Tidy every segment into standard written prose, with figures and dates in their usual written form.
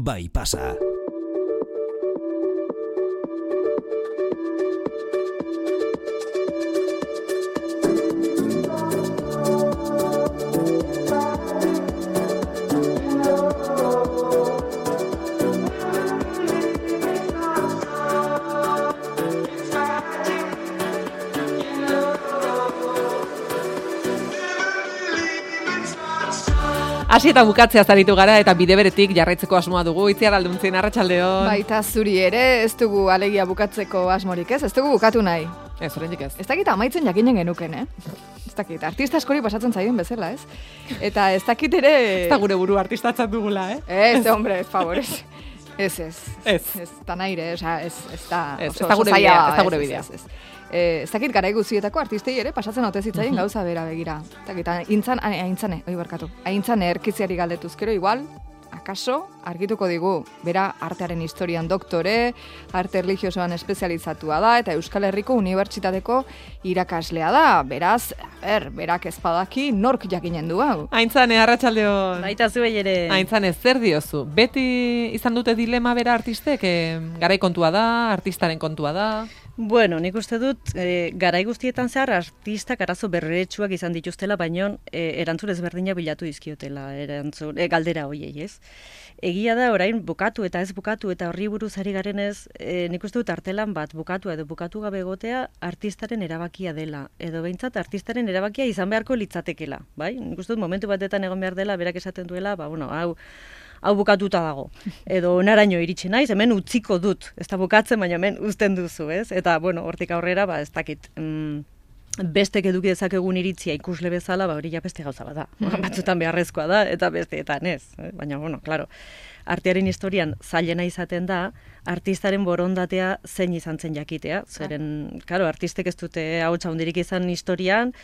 bai pasa. Hasi eta bukatzea zaritu gara eta bide beretik jarraitzeko asmoa dugu. Itziar Alduntzin, arratsaldeon. Baita zuri ere, ez dugu alegia bukatzeko asmorik ez dugu bukatu nahi. Ez, oraindik ez. Ez dakit amaitzen jakinen genuken, Ez dakit, artista askori pasatzen zaien bezala, ez? Eta ez dakit ere... Ez da gure buru artistatzat dugula, Ez, hombre, ez favorez. Ez. Ez da naire, ez da... Ez da gure bidea, ez da gure bidea. Ez dakit garai guztietako artistei ere pasatzen ote zitzaien gauza bera begira. Aintzane erkiziari galdetuzkero igual, akaso argituko digu, bera artearen historian doktore, arte erlijiosoan espezializatua da eta Euskal Herriko Unibertsitateko irakaslea da. Beraz, berak ez badaki nork jakinen du hau. Aintzane, arratsaldeon. Baita zuei ere. Aintzane, zer diozu? Beti izan dute dilema bera artistek? Garai kontua da, artistaren kontua da? Bueno, nik uste dut, garai guztietan zehar artistak arazo berretsuak izan dituztela, baino erantzun ezberdina bilatu dizkiotela, galdera hoiei, ez? Egia da, orain bukatu eta ez bukatu eta horri buruz ari garenez, nik uste dut artelan bat bukatu edo bukatu gabe egotea artistaren erabakia dela, edo behintzat artistaren erabakia izan beharko litzatekela, bai? Nik uste dut momentu batetan egon behar dela, berak esaten duela, hau bukatuta dago. Edo naraino iritsi naiz, hemen utziko dut. Ez da bukatzen, baina hemen uzten duzu, ez? Eta, hortik aurrera, ez dakit, bestek eduki dezakegun iritzia ikusle bezala, hori ja beste gauza bat da. Batzutan beharrezkoa da, eta besteetan ez. Baina, claro, artearen historian zailena izaten da, artistaren borondatea zein izan zen jakitea. Zeren, artistek ez dute ahotsa handirik izan historian,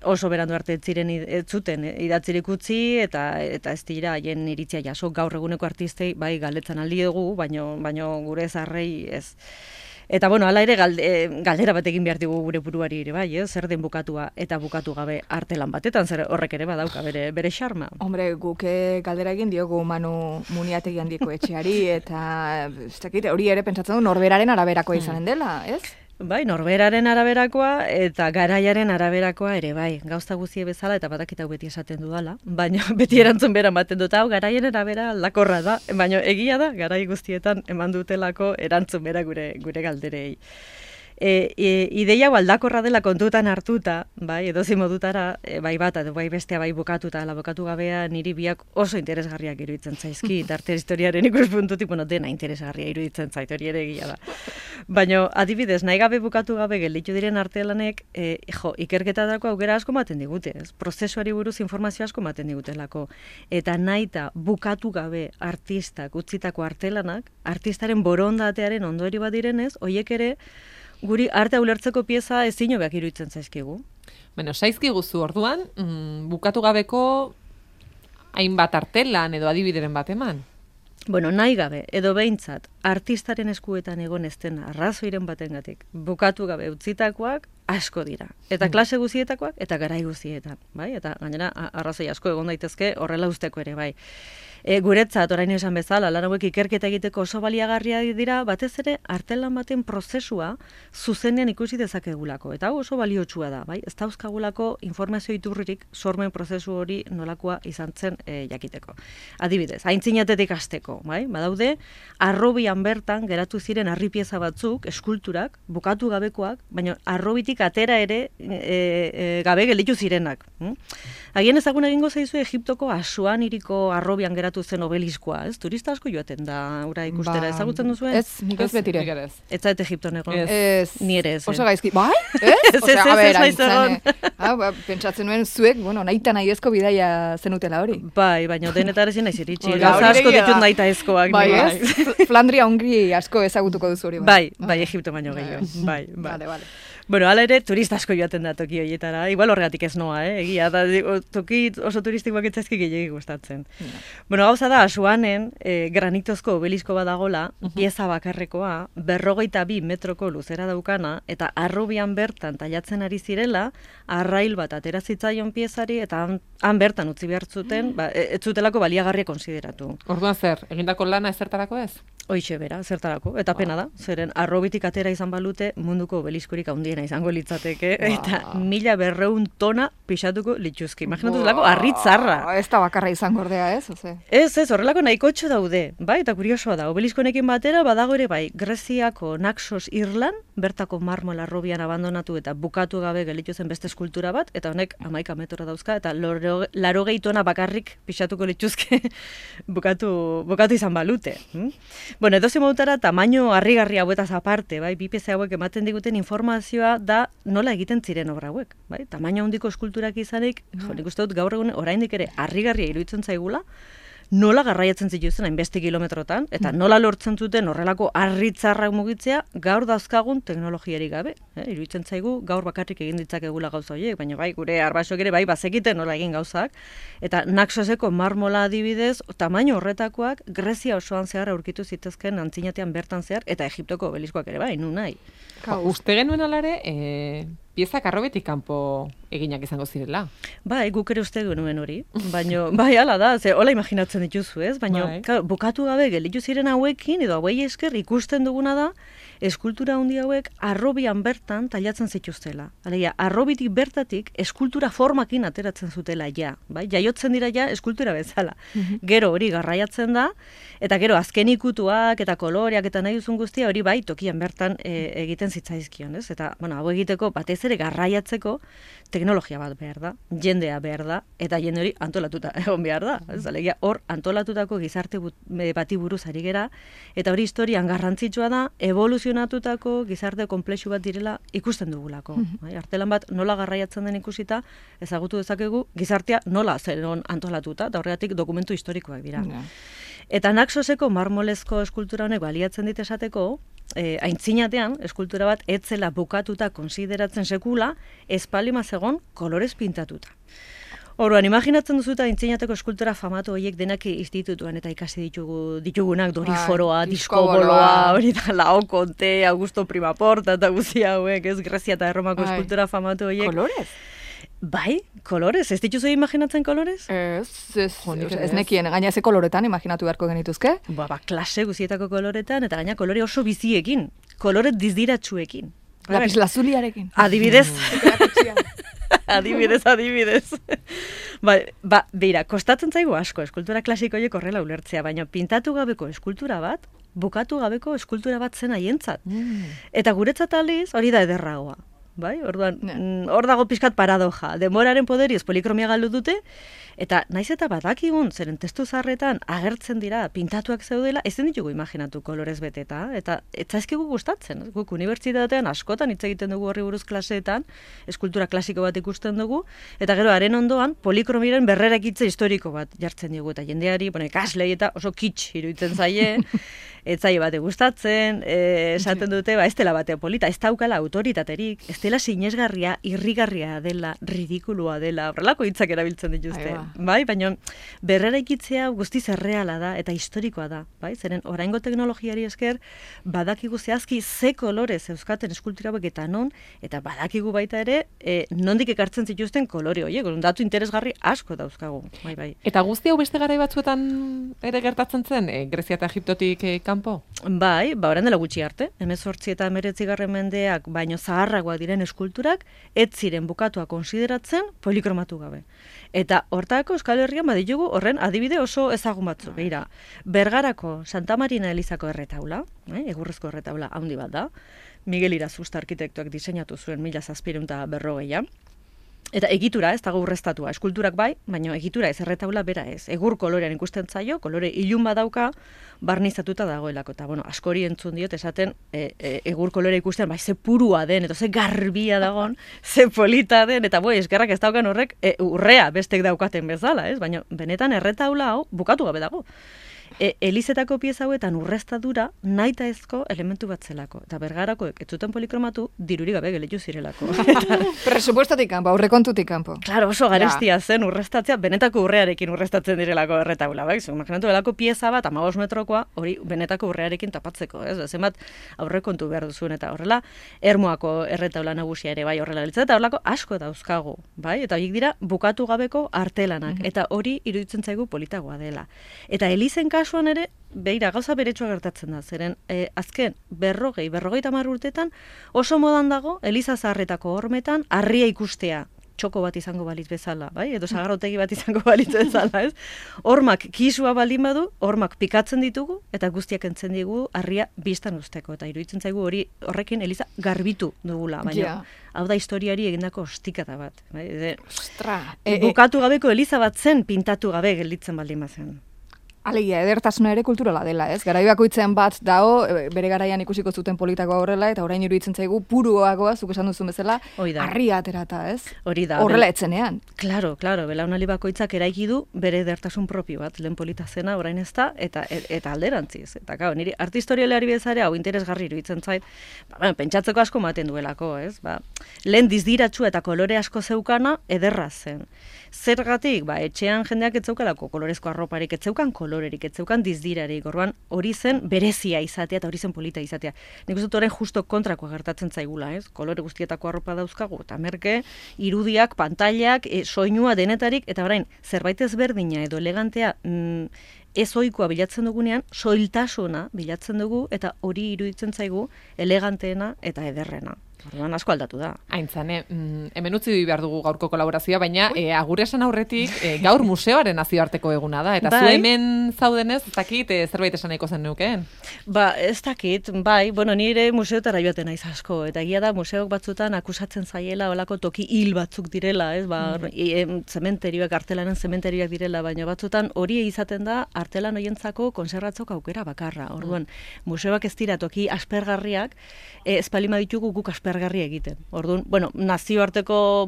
oso berandu arte ez zuten idatzirik utzi eta ez dira haien iritzia jaso. Gaur eguneko artistei bai galdetzen aldi dugu, baino gure zarrei ez. Eta hala ere galdera bat egin behar dugu gure buruari ere bai, zer den bukatua eta bukatu gabe artelan batetan, zer horrek ere badauka bere xarma. Hombre, guk galdera egin diogu Manu Muniategi handiko etxeari eta ez dakit, hori ere pentsatzen du norberaren araberakoa izanen dela, ez? Bai, norberaren araberakoa eta garaiaren araberakoa ere bai, gauza guztie bezala eta badakit hau beti esaten dudala, baina beti erantzun bera ematen dut, hau garaien arabera aldakorra da, baina egia da, garai guztietan eman dutelako erantzun bera gure galderei. Ideia hau aldakorra dela kontutan hartuta, bai, edozein modutara, bai bat, bai bestea, bai bukatuta, ala bukatu gabea niri biak oso interesgarriak iruditzen zaizki, arte historiaren ikuspuntutik, dena interesgarria iruditzen zait, hori ere egia da. Baina, adibidez, nahi gabe bukatu gabe gelditu diren artelanek, ikerketarako aukera asko ematen digute, ez? Prozesuari buruz informazio asko ematen digutelako. Eta nahita bukatu gabe artistak utzitako artelanak, artistaren borondatearen ondori bat direnez, hoiek ere guri arte ulertzeko pieza ezin hobeak iruditzen zaizkigu. Zaizkiguzu orduan, bukatu gabeko hainbat artelan edo adibideren bat eman? Nahi gabe, edo behintzat, artistaren eskuetan egon ez den arrazoiren batengatik bukatu gabe utzitakoak asko dira. Eta klase guztietakoak eta garai guztietan, bai? Eta gainera arrazoi asko egon daitezke horrela usteko ere, bai. Guretzat, orain esan bezala, lan hauek ikerketa egiteko oso baliagarria dira, batez ere artelan baten prozesua zuzenean ikusi dezakegulako. Eta hau oso baliotsua da, bai? Ez dauzkagulako informazio iturririk sormen prozesu hori nolakoa izan zen jakiteko. Adibidez, aintzinatetik hasteko, bai? Badaude, arrobian bertan geratu ziren harripieza batzuk, eskulturak, bukatu gabekoak, baina arrobitik atera ere gabe gelditu zirenak. Agian ezagun egingo zaizu Egiptoko Asuaniriko arrobian geratu zen obeliskoa, ez? Turista asko joaten da ura ikustera, ezagutzen duzuen? Ez, nik ez betire. Ez zaite Egipton egon? Ez. Ni ere ez. Oso gaizki, bai? Ez naiz egon. Pentsatzen nuen zuek, nahita nahi ezko bidaia zenutela hori. Bai, baina denetar ezin naiz iritsi. Gauza asko ditut nahita ezkoak. Bai, ez? Flandria Hongri asko ezagutuko duzu hori. Bai, Egipto baino gehiago. Bai. Vale. Bueno, hala ere, turista asko joaten da toki horietara. Igual horregatik ez noa, egia, da, toki oso turistikoak etzaizki gehiagik gustatzen. Bueno, gauza da, Asuanen, granitozko obelisko badagola, pieza bakarrekoa, 52 metroko luzera daukana, eta arrobian bertan tailatzen ari zirela, arrail bat atera zitzaion piezari, eta han bertan utzi behar zuten, ez zutelako baliagarria konsideratu. Orduan zer, egindako lana ezertarako ez? Hoixe bera, zertarako, eta pena da, zeren arrobitik atera izan balute munduko obeliskorik handiena izango litzateke, eta 1200 tona pixatuko lituzki. Imaginatu zelako, arritzarra. Ez da bakarra izango ordea, ez? Ez, horrelako nahikotxo daude, bai, eta kuriosoa da, obeliskonekin batera badago ere bai, Greziako Naxos Irlan, bertako marmol arrobian abandonatu eta bukatu gabe gelitu zen beste eskultura bat, eta honek 11 metro dauzka, eta 80 tona bakarrik pixatuko lituzke bukatu izan balute. Bueno, edoze modutara, tamaino harrigarri hauetaz aparte, bai, bi pieza hauek ematen diguten informazioa da nola egiten ziren obra hauek, bai? Tamaino handiko eskulturak izanik, nik uste dut gaur egun oraindik ere harrigarria iruditzen zaigula, nola garraiatzen zituzten hainbeste kilometrotan, eta nola lortzen zuten horrelako harritzarrak mugitzea gaur dauzkagun teknologiarik gabe. Iruditzen zaigu gaur bakarrik egin ditzakegula gauza horiek, baina bai, gure arbasok ere bai bazekiten nola egin gauzak, eta Naxoseko marmola adibidez, tamaino horretakoak Grezia osoan zehar aurkitu zitezken antzinatean bertan zehar, eta Egiptoko obeliskoak ere bai, nun nahi. Uste genuen alare, piezak arrobetik kanpo eginak izango zirela. Bai, guk ere uste genuen hori, baina, bai, hala da, hola imaginatzen dituzu, ez? Baina, bukatu gabe gelitu ziren hauekin, edo hauei esker ikusten duguna da, eskultura handi hauek arrobian bertan tailatzen zituztela. Alegia, arrobitik bertatik eskultura formakin ateratzen zutela ja, bai? Jaiotzen dira ja eskultura bezala. Gero hori garraiatzen da, eta gero azken ikutuak eta koloreak eta nahi duzun guztia hori bai tokian bertan egiten zitzaizkion, ez? Eta, bueno, hau egiteko batez ere garraiatzeko teknologia bat behar da, jendea behar da, eta jende hori antolatuta egon behar da. Ez, alegia, hor antolatutako gizarte bati buruz ari gera, eta hori historian garrantzitsua da, evoluzionatutako gizarte konplexu bat direla ikusten dugulako. Artelan bat nola garraiatzen den ikusita, ezagutu dezakegu gizartea nola zeron antolatuta, eta horregatik dokumentu historikoak dira. Eta Naxoseko marmolezko eskultura honek baliatzen dit esateko, aintzinatean, eskultura bat etzela bukatuta konsideratzen sekula, espalima zegon kolorez pintatuta. Orduan, imaginatzen duzuta aintzinateko eskultura famatu horiek denak institutuan eta ikasi ditugunak, Doriforoa, Diskoboloa, hori da, Laokonte, Augusto Primaporta eta guzia hauek, ez, Grezia eta Erromako eskultura famatu horiek. Kolorez? Bai, kolorez. Ez dituzu imaginatzen kolorez? Ez nekien, gaina ze koloretan imaginatu beharko genituzke? Ba, klase guzietako koloretan, eta gaina kolore oso biziekin, kolore dizdiratsuekin. Lapis lazuliarekin. Adibidez. Adibidez. Ba, beira, kostatzen zaigu asko eskultura klasiko horiek horrela ulertzea, baina pintatu gabeko eskultura bat, bukatu gabeko eskultura bat zen haientzat. Eta guretzat aliz hori da ederragoa. Bai, orduan, hor dago pixkat paradoja. Denboraren poderioz polikromia galdu dute, eta naiz eta badakigun, zeren testu zaharretan agertzen dira, pintatuak zeudela, ezin ditugu imaginatu kolorez beteta, eta etzaizkigu gustatzen. Guk unibertsitatean askotan hitz egiten dugu horri buruz klaseetan, eskultura klasiko bat ikusten dugu, eta gero haren ondoan polikromiaren berrerakitze historiko bat jartzen dugu, eta jendeari, ikaslei eta oso kitsch iruditzen zaie, etzaile bate gustatzen, esaten dute, ez dela batea polita, ez daukala autoritaterik, ez dela sinesgarria, irrigarria dela, ridikulua dela, horrelako hitzak erabiltzen dituzte. Bai, baina berreraikitzea guztiz erreala da eta historikoa da, bai? Zeren oraingo teknologiari esker badakigu zehazki ze kolorez euskaten eskultura hauek eta non, eta badakigu baita ere nondik ekartzen zituzten kolore horiek, datu interesgarri asko dauzkagu. Bai. Eta guzti hau beste garai batzuetan ere gertatzen zen, Grezia eta Egiptotik kanpo? Bai, orain dela gutxi arte, 18 eta 19. mendeak baino zaharragoak diren eskulturak ez ziren bukatua konsideratzen polikromatu gabe. Eta hortako Euskal Herrian baditugu horren adibide oso ezagun batzu. Beira, Bergarako Santa Marina Elizako erretaula, egurrezko erretaula handi bat da, Miguel Irazusta arkitektoak diseinatu zuen 1740. Eta egitura, ez dago urreztatua, eskulturak bai, baina egitura ez, erretaula bera ez. Egur kolorean ikusten zaio, kolore ilun badauka, barnizatuta dagoelako. Eta, askori entzun diot, esaten egur kolore ikusten, bai, ze purua den, eta ze garbia dagon, ze polita den, eta eskerrak ez daukan horrek urrea bestek daukaten bezala, ez? Baina benetan erretaula hau bukatu gabe dago. Elizetako pieza hauetan urreztadura nahitaezko elementu bat zelako. Eta bergarakoek ez zuten polikromatu, dirurik gabe geletu zirelako. Presupuestatik kanpo, aurrekontutik kanpo. Claro, oso garestia zen urreztatzea, benetako urrearekin urreztatzen direlako erretaula, bai? Imaginatu delako pieza bat, 15 metrokoa, hori benetako urrearekin tapatzeko, ez? Zenbat aurrekontu behar duzuen, eta horrela, Ermuako erretaula nagusia ere, bai, horrela litzen, eta horrelako asko dauzkagu, bai? Eta horiek dira bukatu gabeko artelanak, eta hori iruditzen zaigu politagoa dela. Eta elizen kasuan ere, beira, gauza beretsua gertatzen da, zeren azken berrogeita 10 urtetan oso modan dago, eliza zaharretako hormetan, harria ikustea, txoko bat izango balitz bezala, bai? Edo sagarrotegi bat izango balitz bezala, ez? Hormak kisua baldin badu, hormak pikatzen ditugu, eta guztiak entzen digu harria biztan usteko, eta iruditzen zaigu horrekin eliza garbitu dugula, baina hau da historiari egindako ostikata bat. Bai? Ostra! Bukatu gabeko eliza bat zen pintatu gabe gelditzen baldin bazen. Alegia, edertasuna ere kulturala dela, ez? Garai bakoitzean bat dao, bere garaian ikusiko zuten politakoa horrela, eta orain iruditzen zaigu puruagoa, zuk esan duzun bezala, harria aterata, ez? Hori da. Horrela etzenean. Claro, belaunaldi bakoitzak eraiki du bere edertasun propio bat, lehen polita zena, orain ez da, eta alderantziz. Eta gau, niri arte historialeari bezare hau interesgarri iruditzen zait, pentsatzeko asko maten duelako, ez? Lehen dizdiratxua eta kolore asko zeukana ederra zen. Zergatik, etxean jendeak ez zeukalako kolorezko arroparik, ez zeukan kolorerik, ez zeukan dizdirarik, orduan hori zen berezia izatea eta hori zen polita izatea. Nik uste dut orain justo kontrakoa gertatzen zaigula, ez? Kolore guztietako arropa dauzkagu, eta merke, irudiak, pantailak, soinua denetarik, eta orain, zerbait ezberdina edo elegantea ez ohikoa bilatzen dugunean, soiltasuna bilatzen dugu, eta hori iruditzen zaigu eleganteena eta ederrena. Orduan asko aldatu da. Aintzane, hemen utzi behar dugu gaurko kolaborazioa, baina agur esan aurretik gaur museoaren nazioarteko eguna da, eta zu hemen zaudenez, ez dakit zerbait esan nahiko zen nukeen? Ez dakit, nire museotara joaten naiz asko, eta egia da museok batzutan akusatzen zaiela olako toki hil batzuk direla, ez, zementerioak, artelanen zementerioak direla, baina batzutan hori izaten da artelan hoientzako konservatzok aukera bakarra. Orduan, museoak ez dira toki aspergarriak, ez palima ditugu guk aspergarri egiten. Orduan,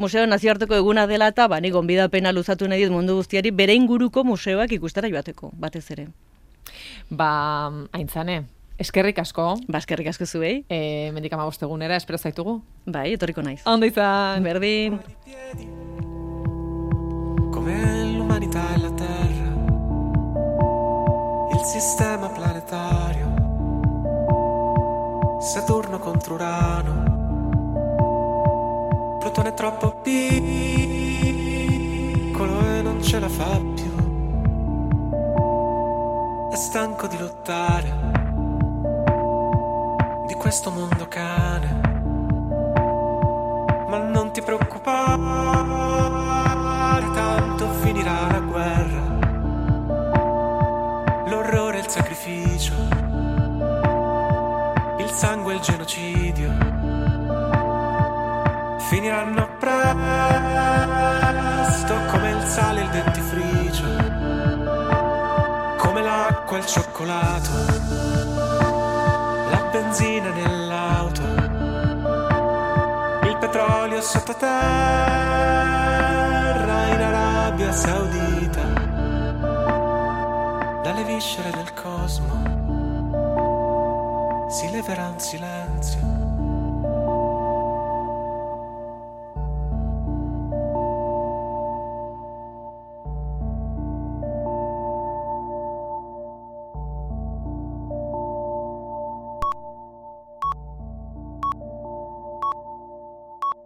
museo nazioarteko eguna dela eta ni gonbidapena luzatu nahi dut mundu guztiari bere inguruko museoak ikustera joateko, batez ere. Aintzane, eskerrik asko. Eskerrik asko zuei. Mendik 15 egunera, espero zaitugu. Etorriko naiz. Ondo izan. Berdin. Come l'umanità e la terra, il sistema planetario, Saturno contro Urano, Plutone è troppo piccolo e non ce la fa più, è stanco di lottare, di questo mondo cane, ma non ti preoccupare, tanto finirà la guerra, l'orrore e il sacrificio, il sangue e il genocidio finiranno presto come il sale e il dentifricio, come l'acqua e il cioccolato, la benzina nell'auto, il petrolio sottoterra in Arabia Saudita, dalle viscere del cosmo si leverà un silenzio